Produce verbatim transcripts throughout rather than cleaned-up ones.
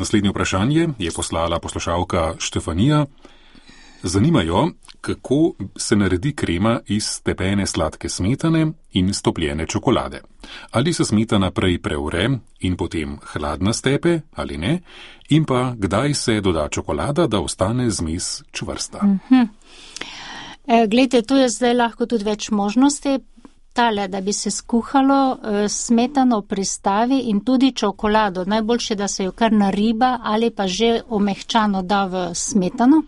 Naslednje vprašanje je poslala poslušalka Štefanija. Zanimajo, kako se naredi krema iz stepene sladke smetane in stopljene čokolade. Ali se smetana prej preure in potem hladna stepe ali ne, in pa kdaj se doda čokolada, da ostane zmes čvrsta. Mm-hmm. E, glejte, tu je zdaj lahko tudi več možnosti. Tale, da bi se skuhalo, smetano pristavi in tudi čokolado. Najboljše, da se jo kar nariba ali pa že omehčano da v smetano.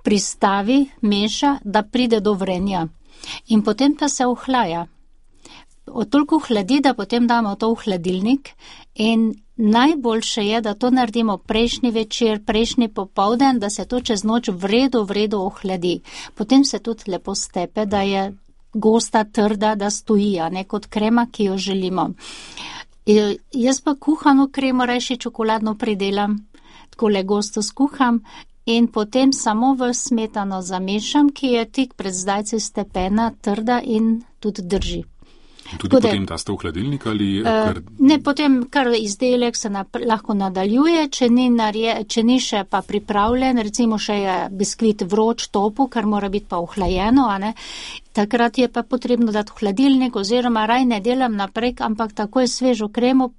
Pristavi, meša, da pride do vrenja. In potem pa se ohlaja. Toliko hladi, da potem damo to v hladilnik. In najboljše je, da to naredimo prejšnji večer, prejšnji popoldan, da se to čez noč vredo, vredo ohladi. Potem se tudi lepo stepe, da je gosta, trda, da stoji, a ne kot krema, ki jo želimo. E, jaz pa kuhano kremo rajši čokoladno pridelam, takole gosto skuham in potem samo v smetano zamešam, ki je tik pred zdajci stepena, trda in tudi drži. In tudi Kode, potem daste v hladilnik ali? Kar... Ne, potem kar izdelek se nap- lahko nadaljuje, če ni, narje, če ni še pa pripravljen, recimo še je biskvit vroč, topu, kar mora biti pa ohlajeno, a ne? Takrat je pa potrebno dati v hladilnik oziroma raj ne delam naprej, ampak tako je svežo kremo,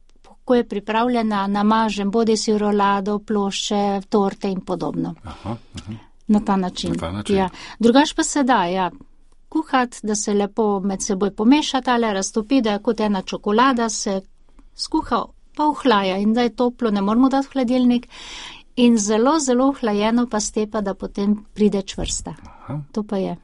ko je pripravljena, namažem bodi si rolado, plošče, torte in podobno. Aha, aha. Na ta način. Na ta način. Ja. Drugač pa se da, ja. Kuhati, da se lepo med seboj pomešata, ali raztopi, da je kot ena čokolada, se skuha pa ohlaja in da je toplo, ne moramo dati v hladilnik in zelo, zelo ohlajeno pa stepa, da potem pride čvrsta. Aha. To pa je.